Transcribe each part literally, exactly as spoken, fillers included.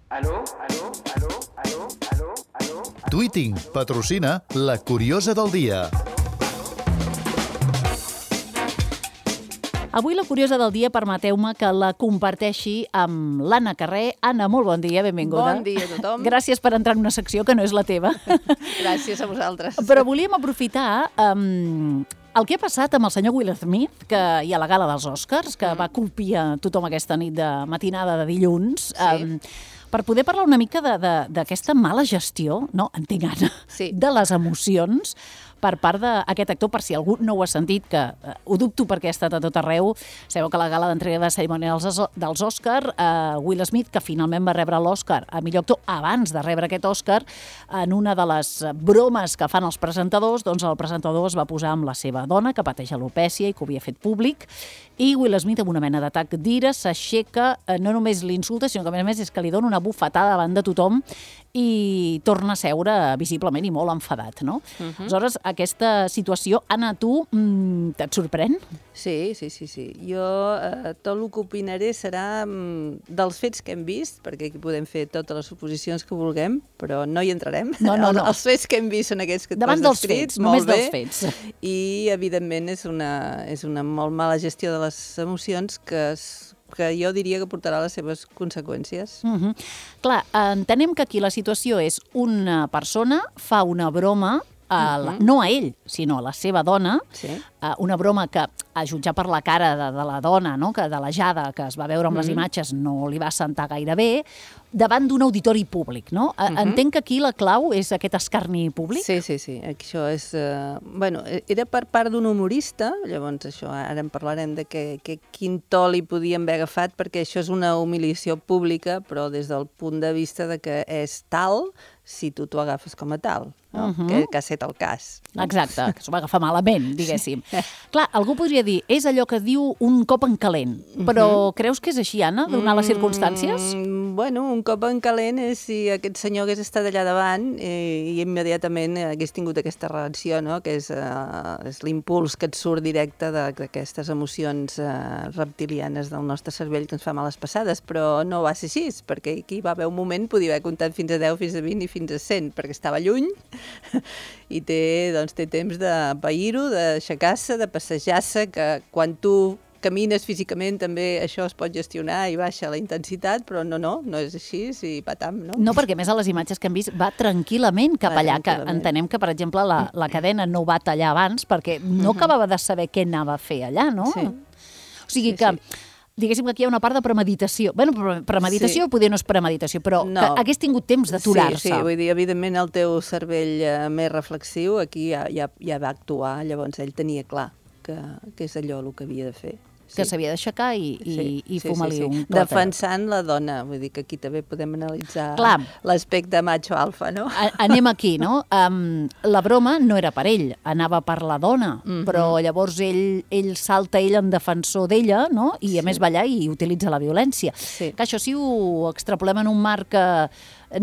Aló, aló, aló, aló, aló, aló. Tweeting patrocina La Curiosa del Dia. Avui la curiosa del dia, permeteu-me que la comparteixi amb l'Anna Carré. Anna, molt bon dia, benvinguda. Bon dia a tothom. Gràcies per entrar en una secció que no és la teva. Gràcies a vosaltres. Però volíem aprofitar um, el que ha passat amb el senyor Will Smith, que hi ha la gala dels Oscars, que mm. va colpir a tothom aquesta nit de matinada de dilluns, sí. um, per poder parlar una mica d'aquesta mala gestió, no, entenc, Anna, sí. de les emocions per part d'aquest actor, per si algú no ho ha sentit, que eh, ho dubto perquè ha estat a tot arreu. Sabeu que la gala d'entrega de cerimònia dels, dels Òscar, eh, Will Smith, que finalment va rebre l'Òscar a millor actor abans de rebre aquest Òscar, en una de les bromes que fan els presentadors, doncs el presentador es va posar amb la seva dona, que pateix alopècia i que ho havia fet públic, i Will Smith, amb una mena d'atac d'ira, s'aixeca, eh, no només l'insulta, sinó que a més a més és que li dona una bufetada davant de tothom i torna a seure visiblement i molt enfadat, no? Uh-huh. Aleshores, aquesta situació, Anna, tu mmm, et sorprèn? Sí, sí, sí, sí. Jo eh, tot el que opinaré serà mm, dels fets que hem vist, perquè aquí podem fer totes les suposicions que vulguem, però no hi entrarem. No, no, no. Els, els fets que hem vist són aquests que tu Davant has dels descrit, fets, molt només bé, dels fets. I, evidentment, és una, és una molt mala gestió de les emocions que es que jo diria que portarà les seves conseqüències. Uh-huh. Clar, entenem que aquí la situació és una persona fa una broma, a la, uh-huh. no a ell, sinó a la seva dona, sí. uh, una broma que, a jutjar per la cara de, de la dona, no? Que de la Jada, que es va veure amb uh-huh. les imatges, no li va sentar gaire bé, davant d'un auditori públic, no? Uh-huh. Entenc que aquí la clau és aquest escarni públic? Sí, sí, sí. Això és... Uh, bueno, era per part d'un humorista, llavors això, ara en parlarem de que, que quin to li podien haver agafat, perquè això és una humiliació pública, però des del punt de vista de que és tal si tu t'ho agafes com a tal, no? Uh-huh. que, que ha estat el cas. No? Exacte, que s'ho va agafar malament, diguéssim. Sí. Clar, algú podria dir, és allò que diu un cop en calent, però uh-huh. creus que és així, Anna, donar les circumstàncies? Mm, bueno, un cop en calent és si aquest senyor hagués estat allà davant eh, i immediatament hagués tingut aquesta reacció, no? Que és, uh, és l'impuls que et surt directe d'aquestes emocions uh, reptilianes del nostre cervell que ens fa males passades, però no va ser així, perquè aquí va haver un moment, podia haver comptat fins a deu, fins a vint i fins a cent, perquè estava lluny i té, doncs, té temps de pair-ho, d'aixecar-se, de passejar-se, que quan tu camines físicament també això es pot gestionar i baixa la intensitat, però no, no, no és així, i patam, no? No, perquè més a les imatges que hem vist va tranquil·lament cap va allà, tranquil·lament. Que entenem que, per exemple, la, la cadena no ho va tallar abans perquè no acabava de saber què anava a fer allà, no? Sí. O sigui sí, que... Sí. Diguéssim que aquí hi ha una part de premeditació. Bé, premeditació sí. Poder no és premeditació, però no. Que hagués tingut temps d'aturar-se. Sí, sí, vull dir, evidentment el teu cervell eh, més reflexiu aquí ja, ja, ja va actuar, llavors ell tenia clar que, que és allò el que havia de fer. Que s'havia d'aixecar i, i, sí, i sí, fumar-li sí, sí. un clot. Defensant la dona, vull dir que aquí també podem analitzar l'aspecte macho-alfa, no? A, anem aquí, no? Um, la broma no era per ell, anava per la dona, mm-hmm. però llavors ell, ell salta ell en defensor d'ella, no? I a sí. més va allà i utilitza la violència. Sí. Que això si ho extrapolem en un marc que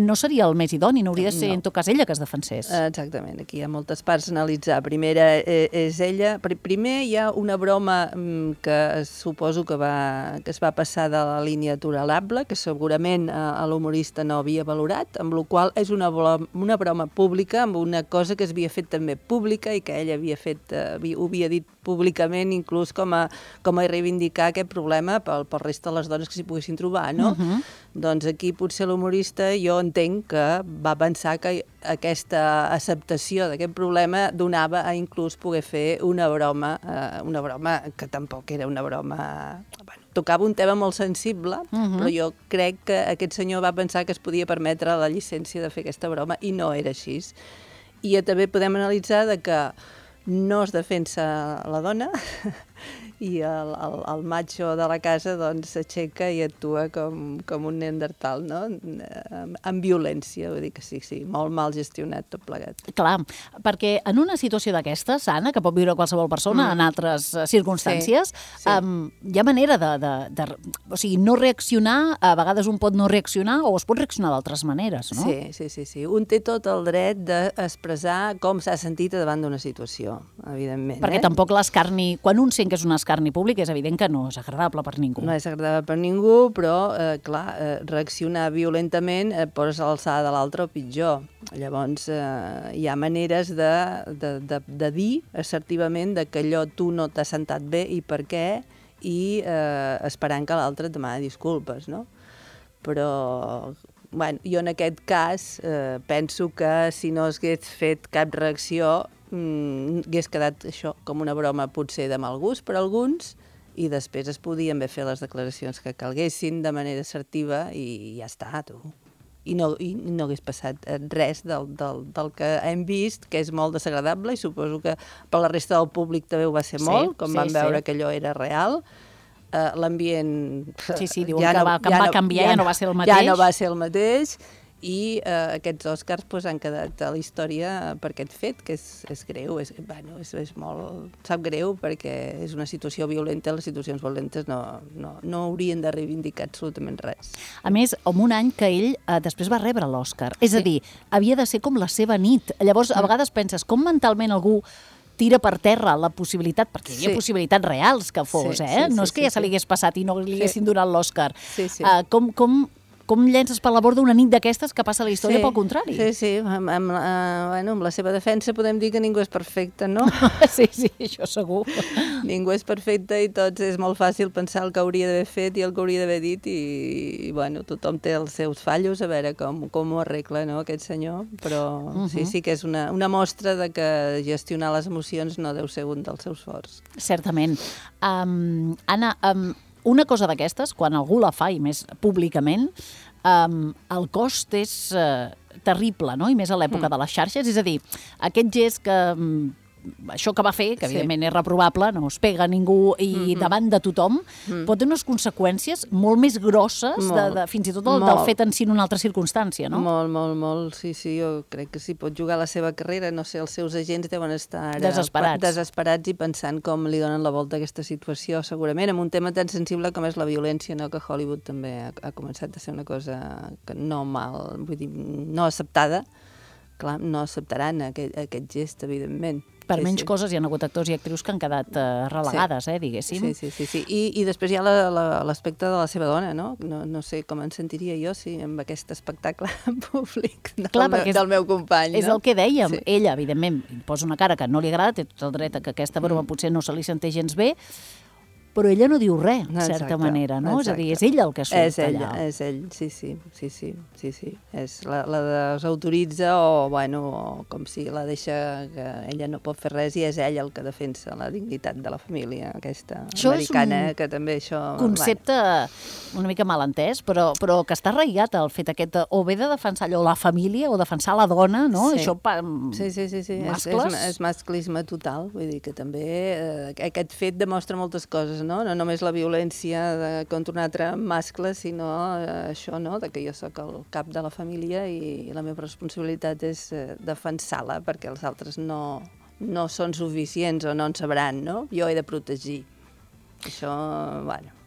no seria el més idoni, no hauria de ser no. en tot cas ella que es defensés. Exactament, aquí hi ha moltes parts a analitzar. Primera eh, és ella, primer hi ha una broma mm, que suposo que, va, que es va passar de la línia tolerable, que segurament eh, l'humorista no havia valorat, amb la qual és una, una broma pública, amb una cosa que es havia fet també pública i que ella havia fet, eh, ho havia dit públicament, inclús com a, com a reivindicar aquest problema pel, pel resta de les dones que s'hi poguessin trobar, no? Uh-huh. Doncs aquí potser l'humorista, jo entenc que va pensar que aquesta acceptació d'aquest problema donava a inclús poder fer una broma, eh, una broma que tampoc era una broma... Bueno, tocava un tema molt sensible, uh-huh. però jo crec que aquest senyor va pensar que es podia permetre la llicència de fer aquesta broma i no era així. I també podem analitzar de que no es defensa la dona i el, el, el macho de la casa doncs s'aixeca i actua com, com un neandertal, no? Amb, amb violència, vull dir que sí, sí, molt mal gestionat tot plegat. Clar, perquè en una situació d'aquestes, Anna, que pot viure qualsevol persona mm. en altres circumstàncies, sí, sí. Um, hi ha manera de, de, de... O sigui, no reaccionar, a vegades un pot no reaccionar o es pot reaccionar d'altres maneres, no? Sí, sí, sí, sí. Un té tot el dret d'expressar com s'ha sentit davant d'una situació, evidentment. Perquè eh? tampoc l'escarni... Quan un sent que és un escarni intern i públic, és evident que no és agradable per ningú. No és agradable per ningú, però, eh, clar, eh, reaccionar violentament et poses a l'alçada de l'altre o pitjor. Llavors, eh, hi ha maneres de, de, de, de dir assertivament de que allò tu no t'ha sentat bé i per què, i eh, esperant que l'altre et demani disculpes, no? Però, bueno, jo en aquest cas eh, penso que si no hagués fet cap reacció mm, hagués quedat això com una broma potser de mal gust per alguns, i després es podien haver fet les declaracions que calguessin de manera assertiva i ja està, tu. I no, i no hagués passat res del, del, del que hem vist, que és molt desagradable, i suposo que per la resta del públic també ho va ser sí, molt, com sí, van veure sí. que allò era real. Uh, l'ambient... Sí, sí, diuen ja que, no, va, que ja va no, canviar, ja, ja no va ser el mateix. Ja no va ser el mateix, i uh, aquests Oscars pues, han quedat a la història per aquest fet, que és, és greu, és, bueno, és, és molt... sap greu perquè és una situació violenta, les situacions violentes no, no, no haurien de reivindicar absolutament res. A més, en un any que ell eh, després va rebre l'Oscar, és sí. a dir, havia de ser com la seva nit. Llavors, a vegades penses, com mentalment algú tira per terra la possibilitat, perquè hi havia sí. possibilitats reals que fos, sí, eh? Sí, no sí, és que sí, ja se li hagués passat i no li sí. haguessin donat l'Oscar. Sí, sí. Uh, com, com, com llences per la borda una nit d'aquestes que passa a la història, sí, pel contrari? Sí, sí, amb, amb, uh, bueno, amb la seva defensa podem dir que ningú és perfecte, no? sí, sí, això segur. Ningú és perfecte i tots és molt fàcil pensar el que hauria d'haver fet i el que hauria d'haver dit, i, i bueno, tothom té els seus fallos, a veure com, com ho arregla, no, aquest senyor, però uh -huh. sí, sí que és una, una mostra de que gestionar les emocions no deu ser un dels seus forts. Certament. Um, Anna, um, una cosa d'aquestes, quan algú la fa, i més públicament, um, el cost és uh, terrible, no? I més a l'època mm. de les xarxes. És a dir, aquest gest que... Um, això que va fer, que evidentment sí. és reprovable, no es pega a ningú i mm-hmm. davant de tothom, mm. pot tenir unes conseqüències molt més grosses, molt, de, de, fins i tot el, del fet en si en una altra circumstància, no? Molt, molt, molt, sí, sí, jo crec que sí, pot jugar la seva carrera, no sé, els seus agents deuen estar ara, desesperats. desesperats i pensant com li donen la volta a aquesta situació, segurament, amb un tema tan sensible com és la violència, no? Que Hollywood també ha, ha començat a ser una cosa que no mal, vull dir, no acceptada. Clar, no acceptaran aquest, aquest gest, evidentment. Per sí, menys sí. coses hi ha hagut actors i actrius que han quedat uh, relegades, sí. eh, diguéssim. Sí, sí, sí. sí. I, i després hi ha l'aspecte de la seva dona, no? no? No sé com em sentiria jo si amb aquest espectacle públic del, Clar, meu, del meu company. És no? el que dèiem. Sí. Ella, evidentment, posa una cara que no li agrada, té tot el dret a que aquesta broma mm. potser no se li senteix gens bé, però ella no diu res, de certa exacte, manera, no? Exacte. És a dir, és ell el que surt és ella, allà. És ell, sí, sí, sí, sí, sí, sí. És la, la desautoritza o, bueno, o com si la deixa que ella no pot fer res i és ell el que defensa la dignitat de la família, aquesta això americana, que també això... Concepte bueno. una mica mal entès, però, però que està arraigat el fet aquest, o bé de defensar allò la família o defensar la dona, no? Sí. Això pa, sí, sí, sí, sí. mascles... És, és, és masclisme total, vull dir que també eh, aquest fet demostra moltes coses, no? No només la violència de, contra un altre mascle, sinó eh, això, no?, de que jo sóc el cap de la família i, i la meva responsabilitat és eh, defensar-la perquè els altres no, no són suficients o no en sabran, no? Jo he de protegir. Això, bueno...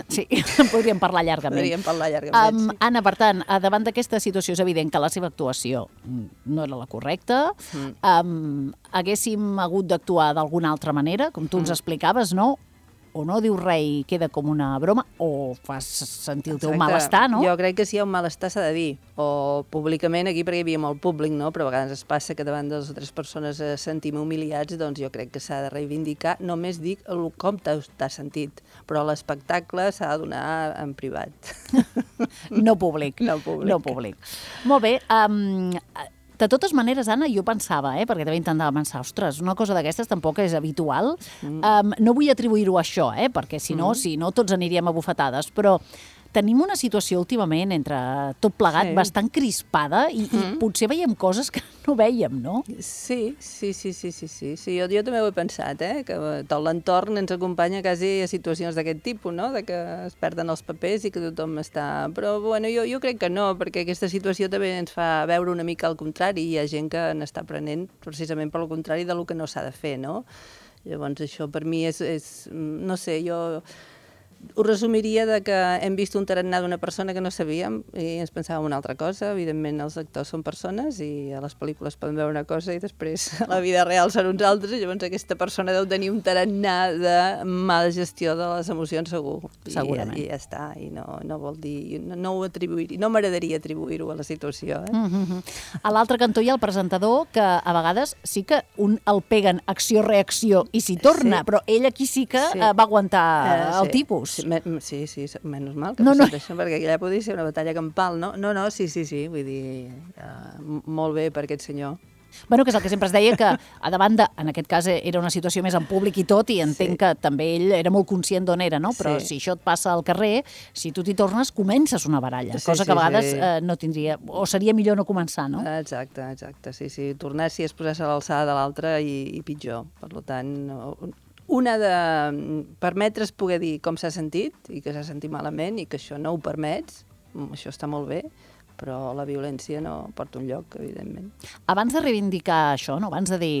Sí, podríem parlar llargament. Podríem parlar llargament, um, sí. Anna, per tant, davant d'aquesta situació és evident que la seva actuació no era la correcta. Mm. Um, haguéssim hagut d'actuar d'alguna altra manera, com tu ens mm. explicaves, no? O no dius res i queda com una broma, o fas sentir el teu Exacte. malestar, no? Jo crec que si hi ha un malestar s'ha de dir, o públicament, aquí perquè hi havia molt públic, no? Però a vegades es passa que davant de les altres persones eh, sentim humiliats, doncs jo crec que s'ha de reivindicar, només dic el, com t'has sentit, però l'espectacle s'ha de donar en privat. No públic. No públic. No públic. Molt bé, um, de totes maneres, Anna, jo pensava, eh, perquè també intentava pensar, ostres, una cosa d'aquestes tampoc és habitual. Mm. Um, no vull atribuir-ho a això, eh, perquè si no, mm. si no, tots aniríem a bufetades, però tenim una situació últimament entre tot plegat sí. bastant crispada i, mm. i potser veiem coses que no veiem, no? Sí, sí, sí, sí, sí, sí. sí jo, jo també ho he pensat, eh? Que tot l'entorn ens acompanya quasi a situacions d'aquest tipus, no? De que es perden els papers i que tothom està... Però, bueno, jo, jo crec que no, perquè aquesta situació també ens fa veure una mica al contrari. Hi ha gent que n'està aprenent precisament per al contrari del que no s'ha de fer, no? Llavors, això per mi és... és no sé, jo... ho resumiria de que hem vist un tarannà d'una persona que no sabíem i ens pensàvem una altra cosa. Evidentment, els actors són persones i a les pel·lícules poden veure una cosa i després a la vida real són uns altres, i llavors aquesta persona deu tenir un tarannà de mala gestió de les emocions, segur. Segurament. I, i ja està, i no, no vol dir... No, no ho atribuir, no m'agradaria atribuir-ho a la situació. Eh? Mm-hmm. A l'altre cantó hi ha el presentador, que a vegades sí que un el peguen acció-reacció i s'hi torna, sí. Però ell aquí sí que sí. va aguantar uh, el sí. tipus. Sí, me, sí, sí, menys mal que no, no. Això, perquè allà podria ser una batalla campal, no? No, no, sí, sí, sí, vull dir, uh, molt bé per aquest senyor. Bueno, que és el que sempre es deia, que a davant de, en aquest cas era una situació més en públic i tot, i entenc sí. que també ell era molt conscient d'on era, no? Però sí. si això et passa al carrer, si tu t'hi tornes, comences una baralla, sí, cosa que a vegades sí. eh, no tindria, o seria millor no començar, no? Exacte, exacte, sí, sí. Tornar si es posés a l'alçada de l'altre i, i pitjor. Per tant, una de permetre's poder dir com s'ha sentit i que s'ha sentit malament i que això no ho permets, això està molt bé, però la violència no porta un lloc, evidentment. Abans de reivindicar això, no? Abans de dir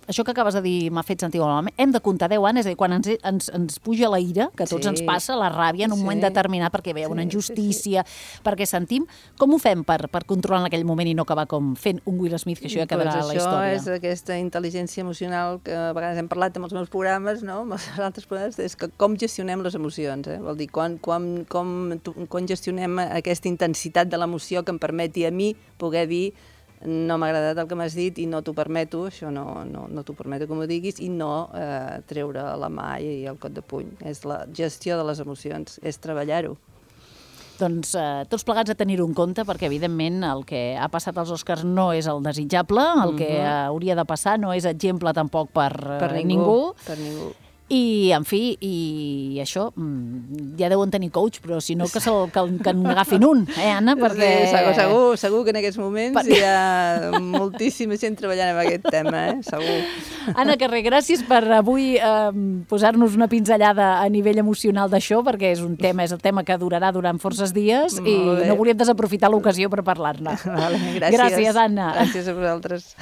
això que acabes de dir m'ha fet sentir malament, hem de comptar deu anys, és a dir, quan ens, ens, ens puja la ira, que a tots sí. ens passa, la ràbia en un sí. moment determinat, perquè ve una injustícia, sí, sí. perquè sentim, com ho fem per, per controlar en aquell moment i no acabar com fent un Will Smith, que això ja quedarà pues a la història? Això és aquesta intel·ligència emocional que a vegades hem parlat amb els meus programes, no? amb els altres programes, és que com gestionem les emocions, eh? Vol dir, quan, quan, com, quan gestionem aquesta intensitat de l'emoció que em permeti a mi poder dir no m'ha agradat el que m'has dit i no t'ho permeto, això no, no, no t'ho permeto que m'ho diguis, i no eh, treure la mà i el cot de puny. És la gestió de les emocions, és treballar-ho. Doncs eh, tots plegats a tenir-ho en compte, perquè evidentment el que ha passat als Oscars no és el desitjable, el que uh-huh. hauria de passar no és exemple tampoc per, per ningú. ningú. Per ningú. I, en fi, i això, ja deuen tenir coach, però si no, que, que, que en agafin un, eh, Anna? Perquè... Sí, segur, segur, segur que en aquests moments per... hi ha moltíssima gent treballant en aquest tema, eh? Segur. Anna Carré, gràcies per avui eh, posar-nos una pinzellada a nivell emocional d'això, perquè és un tema, és el tema que durarà durant forces dies i no volíem desaprofitar l'ocasió per parlar-ne. Vale, gràcies. Gràcies, Anna. Gràcies a vosaltres.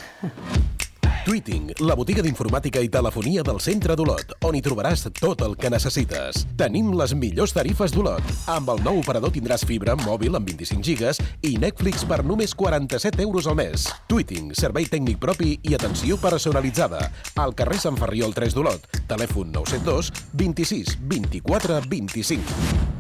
Tweeting, la botiga d'informàtica i telefonia del centre d'Olot, on hi trobaràs tot el que necessites. Tenim les millors tarifes d'Olot. Amb el nou operador tindràs fibra, mòbil amb vint-i-cinc gigas i Netflix per només quaranta-set euros al mes. Tweeting, servei tècnic propi i atenció personalitzada. Al carrer Sant Ferriol tres d'Olot. Telèfon nou set dos, vint-i-sis, vint-i-quatre, vint-i-cinc.